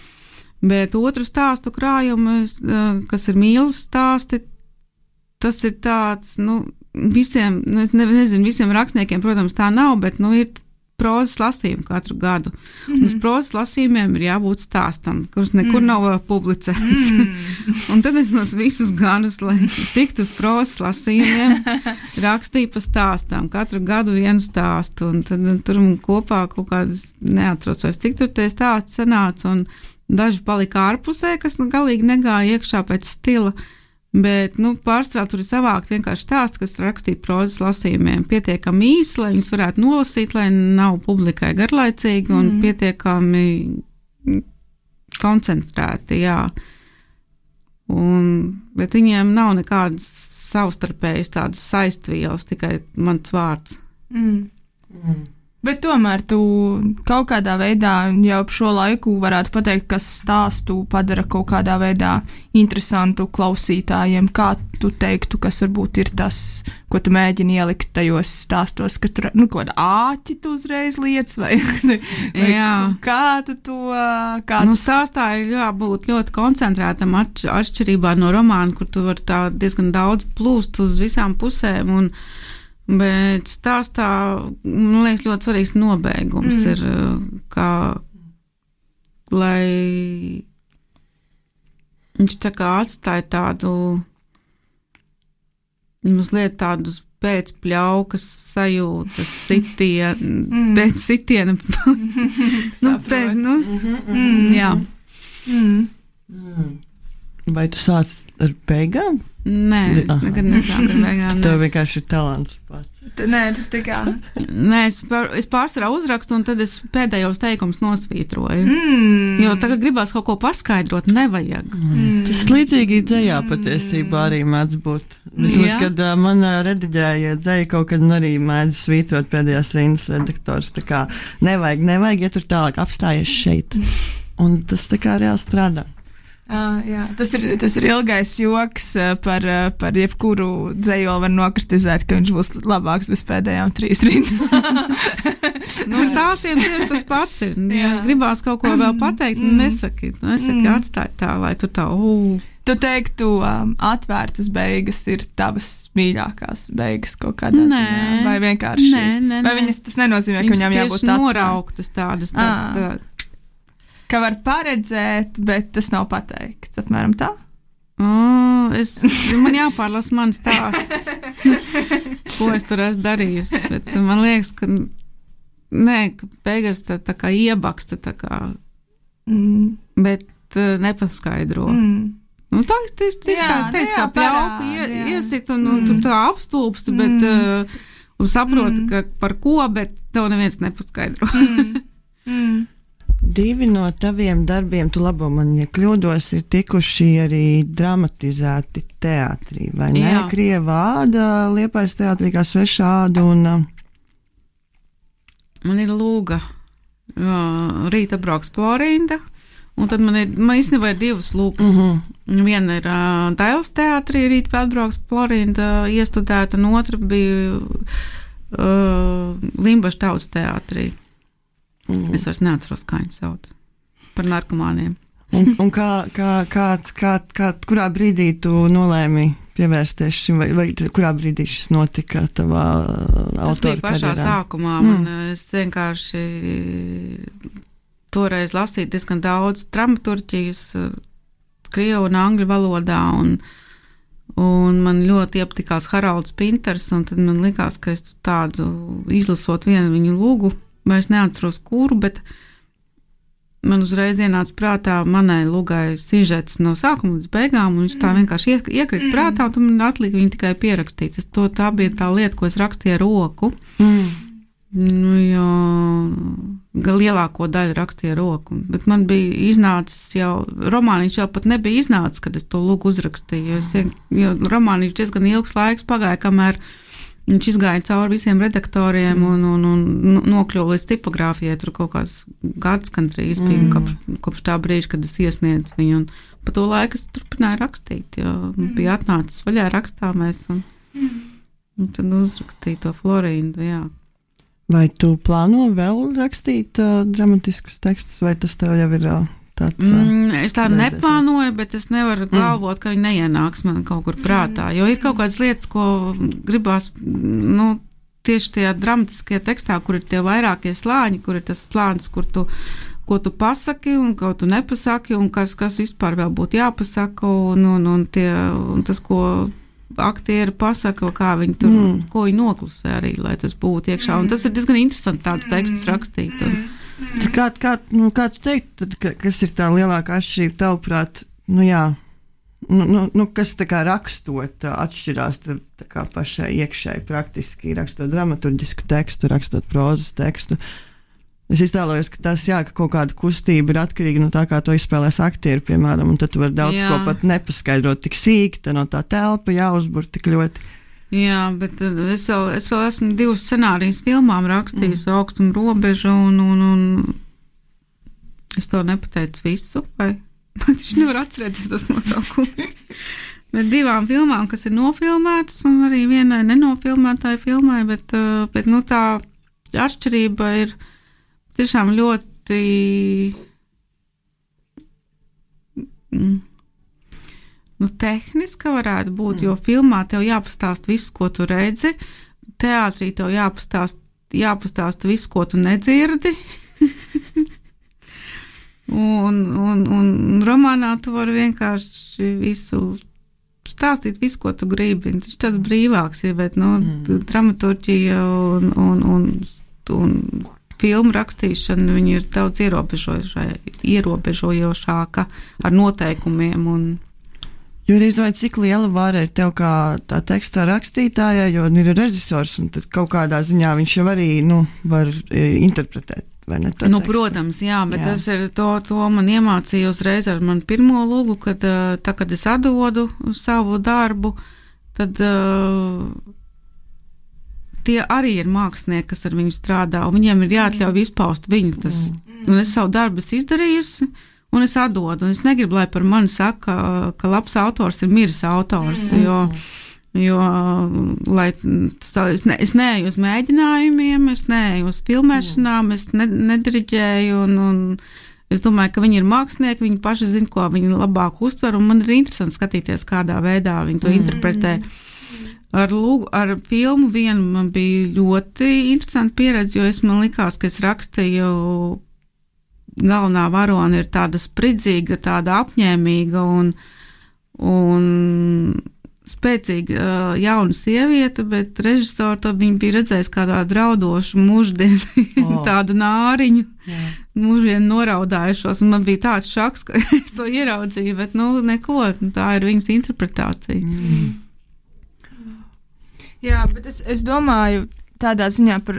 bet otru stāstu krājumu, kas ir mīlas stāsti, tas ir tāds, visiem, es nezinu, visiem rakstniekiem, protams, tā nav, bet, ir prozas lasījumi katru gadu. Un uz prozas lasījumiem ir jābūt stāstam, kurš nekur nav publicēts. Un tad es nos visus gadus, lai tiktu uz prozas lasījumiem, rakstīju pa stāstām, katru gadu vienu stāstu, un tad tur man kopā kaut kādas neatceros vairs, cik tur tie stāsti sanāca, un daži palika ārpusē, kas galīgi negāja iekšā pēc stila. Bet, pārstrā tur ir savākt vienkārši stāsts, kas rakstīja prozas lasījumiem pietiekami īsi, lai viņus varētu nolasīt, lai nav publikai garlaicīgi un pietiekami koncentrēti, jā. Bet viņiem nav nekādas savstarpējas tādas saistvielas, tikai mans vārds. Bet tomēr tu kaut kādā veidā jau ap šo laiku varētu pateikt, kas stāstu padara kaut kādā veidā interesantu klausītājiem. Kā tu teiktu, kas varbūt ir tas, ko tu mēģini ielikt tajos stāstos, ka tur, kaut kāda āķi tu uzreiz liec, vai kā tu to... Stāstā ir jābūt ļoti koncentrētam atšķirībā no romāna, kur tu vari tā diezgan daudz plūst uz visām pusēm bet stāstā, man liekas, ļoti svarīgs nobeigums ir, kā, lai viņš tā kā atstāja tādu, mazliet tādus pēcpļaukas sajūtas, pēc sitiena. Jā. Vai tu sāc ar beigām? Nē, es nekad nesāku ar beigām. Tev vienkārši ir talants pats. Nē, tu tā kā... Nē, es pārsvarā uzrakstu, un tad es pēdējos teikumus nosvītroju. Jo tagad gribās kaut ko paskaidrot, nevajag. Tas līdzīgi dzejā patiesībā arī mēdz būt. Vismaz, kad man rediģēja dzeja kaut kad arī mēdz svītrot pēdējās rindas redaktors. Tā kā nevajag, ja tur tālāk apstājies šeit. Un tas tā kā reāli strādā. Jā. Tas ir ilgais joks par jebkuru dzejoli var nokritizēt, ka viņš būs labāks bez pēdējām 3 rindām. Stāstiem tieši tas pats ir. Ja gribās kaut ko vēl pateikt, nesaki, atstāj tā, lai tu tā, Tu teiktu, atvērtas beigas ir tavas mīļākās beigas kaut kādā ziņā? Vai vienkārši? Nē. Vai viņas tas nenozīmē, ka viņām jābūt tieši norauktas tādas. Ka var paredzēt, bet tas nav pateikts, apmēram tā? Man jāpārlasa mani stāsti, ko es tur esmu darījusi, bet man liekas, ka ka beigās tā kā iebaksta, tā kā, bet nepaskaidro. Tā ir tieši kā pļauka iesit un tur tā apstulpst, bet saproti, ka par ko, bet tev neviens nepaskaidro. 2 no taviem darbiem, tu labo man, ja kļūdos, ir tikuši arī dramatizēti teātrī, vai ne? Krieva āda, Liepājas teātrī kā Sveša āda un... Man ir Lūga, Rīta brauks Florinda, un tad man īstenībā ir 2 lūgas. Viena ir Dailes teātrī, Rīta atbrauks Florinda iestudēta, un otra bija Limbaša tautas teātrī. Es vairs neatceros, kā viņu sauc. Par narkomāniem. Un kurā brīdī tu nolēmi pievērsties šim, vai kurā brīdī šis notika tavā autora karjerā? Tas bija pašā sākumā. Es vienkārši toreiz lasīju diezgan daudz dramaturģijas krievu un angļu valodā, un man ļoti iepatikās Haralds Pinters, un tad man likās, ka es tādu izlasot vienu viņu lūgu, vairs neatceros kuru, bet man uzreiz ienāca prātā manai lūgai sižets no sākuma līdz beigām, un viņš tā vienkārši iekrita prātā, un man atlika viņu tikai pierakstīt. Tā bija tā lieta, ko es rakstīju ar roku. Jo lielāko daļu rakstīju ar roku. Bet man bija iznācis jau, romāniņš jau pat nebija iznācis, kad es to lūgu uzrakstīju, jo romāniņš diezgan ilgs laiks pagāja, kamēr viņš izgāja cauri visiem redaktoriem un nokļuva līdz tipogrāfijai. Tur kaut kāds gads gandrīz bija kopš tā brīža, kad es iesniedzu viņu. Un pa to laiku es turpināju rakstīt, jo bija atnācis vaļā rakstāmēs un tad uzrakstīju to Florindu, jā. Vai tu plāno vēl rakstīt dramatiskus tekstus, vai tas tev jau ir tāds? Es tā neplānoju, bet es nevaru galvot, ka viņi neienāks man kaut kur prātā, jo ir kaut kādas lietas, ko gribās, tieši tajā dramatiskajā tekstā, kur ir tie vairākie slāņi, kur ir tas slānis, ko tu pasaki un ko tu nepasaki, un kas vispār vēl būtu jāpasaka, un tas, ko aktieri pasaka, kā viņi tur, ko viņi noklusē arī, lai tas būtu iekšā, un tas ir diezgan interesanti tādus tekstus rakstīt, Kā tu teikt, kas ir tā lielākā atšķirība tavuprāt, kas tā kā rakstot atšķirās tā kā pašai iekšēji praktiski, rakstot dramaturģisku tekstu, rakstot prozas tekstu? Es iztēlojos, ka tas, ka kaut kāda kustība ir atkarīga no tā, kā to izspēlēs aktieri, piemēram, un tad tu vari daudz ko pat nepaskaidrot tik sīki, tad no tā telpa jāuzbur tik ļoti. Jā, bet es vēl esmu 2 scenārijas filmām rakstījis, Augstuma robeža, un es to nepateicu visu, vai man taču nevar atcerēties tas nosaukums. Bet 2 filmām, kas ir nofilmētas, un arī vienai nenofilmētāji filmai, bet tā atšķirība ir tiešām ļoti tehniska varētu būt, jo filmā tev jāpastāst viss, ko tu redzi, teātrī tev jāpastāst viss, ko tu nedzirdi, un romānā tu vari vienkārši visu stāstīt visu, ko tu gribi. Viņš tāds brīvāks ir, bet dramaturģija un filmu rakstīšana, viņi ir daudz ierobežojošāka ar noteikumiem. Jurijs, vai cik liela vara ir tev kā tā tekstā rakstītājai, jo ir režisors, un tad kaut kādā ziņā viņš jau arī var interpretēt. Protams, jā, bet tas ir to man iemācīja uzreiz ar manu pirmo lūgu, kad es atdodu savu darbu, tad tie arī ir mākslinieki, kas ar viņu strādā, un viņiem ir jāatļauj izpaust viņu. Un es savu darbu izdarījusi, un es atdodu, un es negribu, lai par mani saka, ka labs autors ir miris autors, jo es neeju uz mēģinājumiem, es neeju uz filmēšanām, es nediriģēju, un es domāju, ka viņi ir mākslinieki, viņi paši zina, ko viņi labāk uztver, un man ir interesanti skatīties, kādā veidā viņi to interpretē. Ar filmu vienu man bija ļoti interesanti pieredze, jo man likās, ka es rakstīju, galvenā varone ir tāda spridzīga, tāda apņēmīga un spēcīga jauna sieviete, bet režisori to viņi bija redzējis kā tādu raudošu muždienu, tādu nāriņu, muždienu noraudājušos, un man bija tāds šoks, ka es to ieraudzīju, bet neko, tā ir viņas interpretācija. Jā, bet es domāju tādā ziņā par,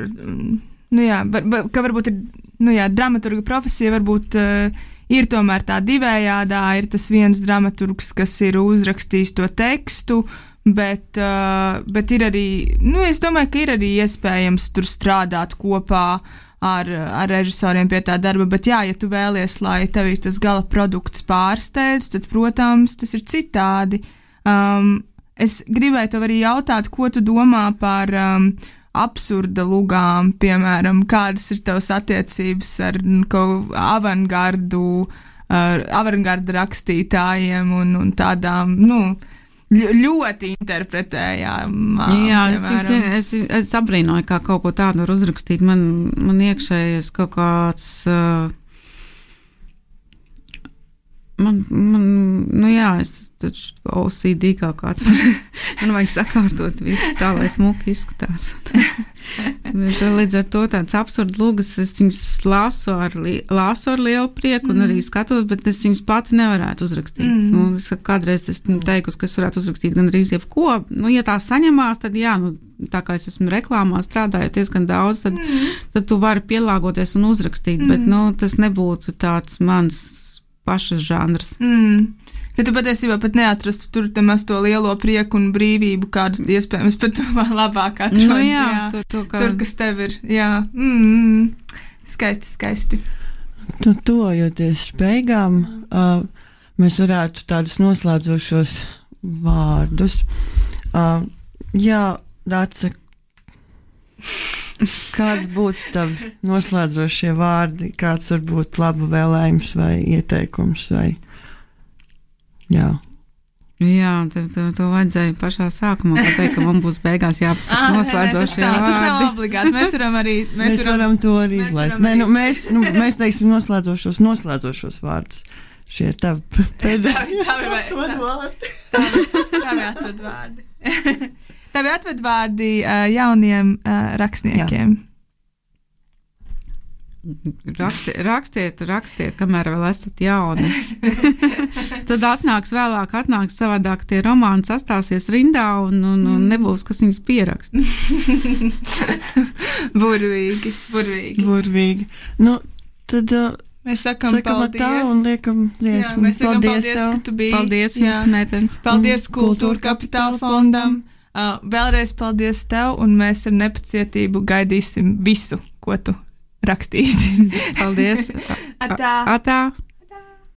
ka varbūt ir, dramaturga profesija varbūt ir tomēr tā divējādā, ir tas viens dramaturgs, kas ir uzrakstījis to tekstu, bet ir arī, es domāju, ka ir arī iespējams tur strādāt kopā ar režisoriem pie tā darba, bet ja tu vēlies, lai tev tas gala produkts pārsteidz, tad, protams, tas ir citādi. Es gribēju tev arī jautāt, ko tu domā par absurda lugām, piemēram, kādas ir tavas attiecības ar avangarda rakstītājiem un tādām, ļoti interpretējām. Jā, es abrīnoju, kā kaut ko tādu var uzrakstīt. Man iekšējies kaut kāds... es taču OCD kā kāds. Man vajag sakārtot visu tā, lai smuki izskatās. Līdz ar to tāds absurd lugas, es viņas lasu ar lielu prieku un arī skatos, bet es viņas pati nevarētu uzrakstīt. Es kādreiz teikusi, ka es varētu uzrakstīt gan arī jebko. Ja tā saņemās, tad jā, tā kā es esmu reklāmā strādājis diezgan daudz, tad tu vari pielāgoties un uzrakstīt, bet tas nebūtu tāds mans pašas žanrs. Ka tu patiesībā pat neatrastu tur temaz to lielo prieku un brīvību, kādu iespējams pat tu labāk atrod. Tur, kas tev ir. Jā. Skaisti. Tuvojoties beigām, mēs varētu tādus noslēdzošos vārdus. Dāce, kādi būtu tavi noslēdzošie vārdi, kāds varbūt labu vēlējums vai ieteikums vai... Jā, to vajadzēja pašā sākumā pateikt, ka man būs beigās jāpasaka noslēdzošie vārdi. Tas nav obligāti, mēs varam to arī izlaist. Mēs teiksim noslēdzošos vārdus. Šie ir tavi pēdējie atvadvārdi. Tavi atvadvārdi jauniem rakstniekiem. Jā. Rakstiet, kamēr vēl esat jauni. Tad atnāks savādāk tie romāni sastāsies rindā un nebūs, kas viņus pierakst. Burvīgi. Tad mēs sakam paldies. Tā un liekam dziesmu. Mēs sakam paldies, ka tu biji. Paldies jums, meitenes. Paldies Kultūra Kapitāla fondam. Vēlreiz paldies tev, un mēs ar nepacietību gaidīsim visu, ko tu rakstīsi. Paldies! Atā! Atā.